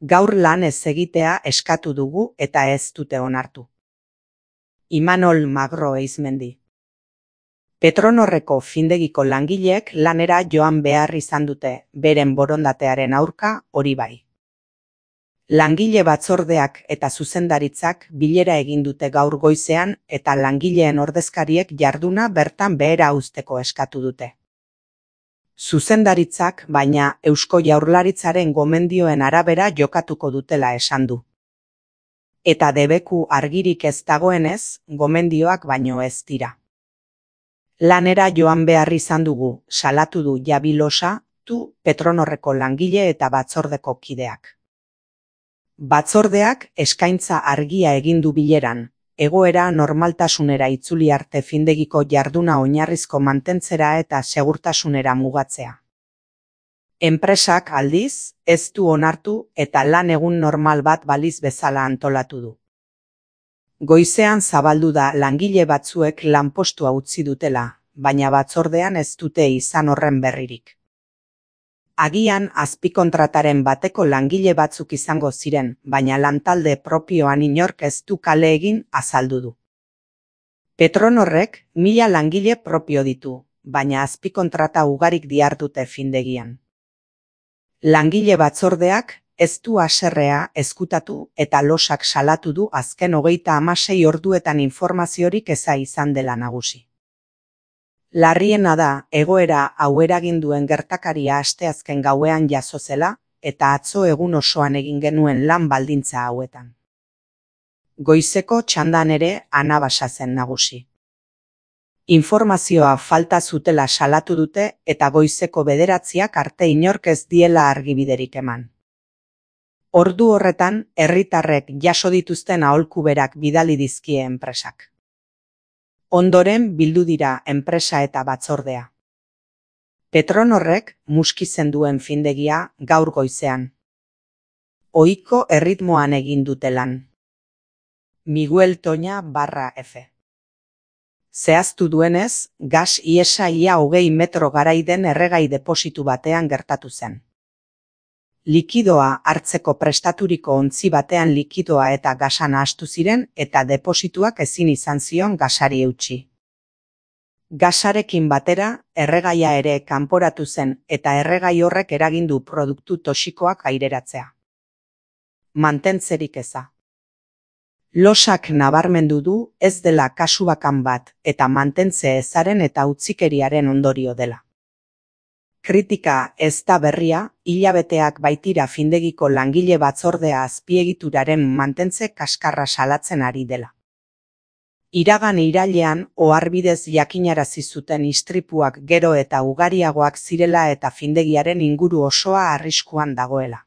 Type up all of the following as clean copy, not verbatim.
Gaur lan ez egitea eskatu dugu eta ez dute onartu. Imanol Magro Eizmendi. Petronorreko findegiko langileek lanera joan behar izan dute, beren borondatearen aurka hori bai. Langile batzordeak eta zuzendaritzak bilera egin dute gaur goizean eta langileen ordezkariek jarduna bertan behera uzteko eskatu dute. Zuzendaritzak, baina, Eusko Jaurlaritzaren gomendioen arabera jokatuko dutela esan du. Eta debeku argirik ez dagoenez, gomendioak baino ez dira. Lanera joan behar izan dugu, salatu du Javi Losa, Petronorreko langile eta batzordeko kideak. Batzordeak eskaintza argia egin du bileran, egoera normaltasunera itzuli arte findegiko jarduna oinarrizko mantentzera eta segurtasunera mugatzea. Enpresak aldiz, ez du onartu eta lan egun normal bat baliz bezala antolatu du. Goizean zabaldu da langile batzuek lanpostua utzi dutela, baina batzordean ez dute izan horren berririk. Agian azpikontrataren bateko langile batzuk izango ziren, baina lantalde propioan inork ez du kale egin azaldu du. Petronorrek 1000 langile propio ditu, baina azpikontrata ugarik dihardute findegian. Langile batzordeak ez du haserrea ezkutatu eta Losak salatu du azken 36 orduetan informaziorik eza izan dela nagusi. Larriena da, egoera hau eragin duen gertakaria asteazken gauean jazo zela, eta atzo egun osoan egin genuen lan baldintza hauetan. Goizeko txandan ere anabasa zen nagusi. Informazioa falta zutela salatu dute eta goizeko 9 arte inork ez diela argibiderik eman. Ordu horretan, herritarrek jaso dituzten aholkuberak bidali dizkie enpresak. Ondoren bildu dira enpresa eta batzordea. Petronorrek muskizen duen findegia gaur goizean. Ohiko erritmoan egin dute lan. Miguel Toña /F. Zehaztu duenez, gas ihesa ia 20 metro garaiden erregai depositu batean gertatu zen. Likidoa hartzeko prestaturiko ontzi batean likidoa eta gasa nahastu ziren eta deposituak ezin izan zion gasari eutsi. Gasarekin batera, erregaia ere kanporatu zen eta erregai horrek eragin du produktu toxikoak aireratzea. Mantentzerik eza. Losak nabarmendu du ez dela kasu bakan bat eta mantentze ezaren eta utzikeriaren ondorio dela. Kritika ez da berria, hilabeteak baitira findegiko langile batzordea azpiegituraren mantentze kaskarra salatzen ari dela. Iragan irailean oharbidez jakinarazi zuten istripuak gero eta ugariagoak zirela eta findegiaren inguru osoa arriskuan dagoela.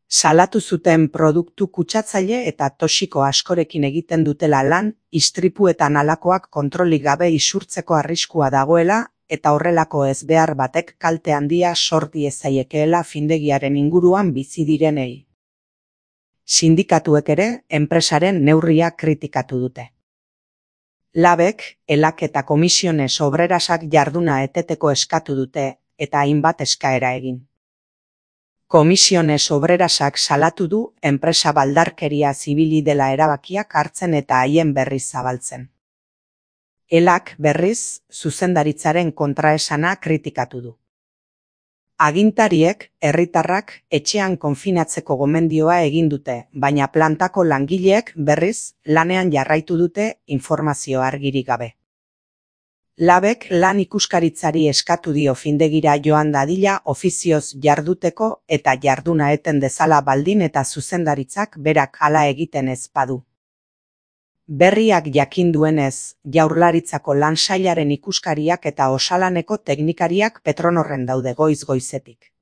Salatu zuten produktu kutsatzaile eta toxiko askorekin egiten dutela lan, istripuetan halakoak kontrolik gabe isurtzeko arriskua dagoela, eta horrelako ezbehar batek kalte handia sor diezaiekeela findegiaren inguruan bizi direnei. Sindikatuek ere enpresaren neurria kritikatu dute. Labek, Elak eta Komisiones Obrerasak jarduna eteteko eskatu dute eta hainbat eskaera egin. Komisiones Obrerasak salatu du enpresa baldarkeria zibili dela erabakiak hartzen eta haien berriz zabaltzen. Elak berriz zuzendaritzaren kontraesana kritikatu du. Agintariek, herritarrak etxean konfinatzeko gomendioa egin dute, baina plantako langileek berriz lanean jarraitu dute informazio argirik gabe. Labek lan ikuskaritzari eskatu dio findegira joan dadila ofizioz jarduteko eta jarduna eten dezala baldin eta zuzendaritzak berak hala egiten ez badu. Berriak jakin duenez, Jaurlaritzako lan sailaren ikuskariak eta osalaneko teknikariak Petronorren daude goiz-goizetik.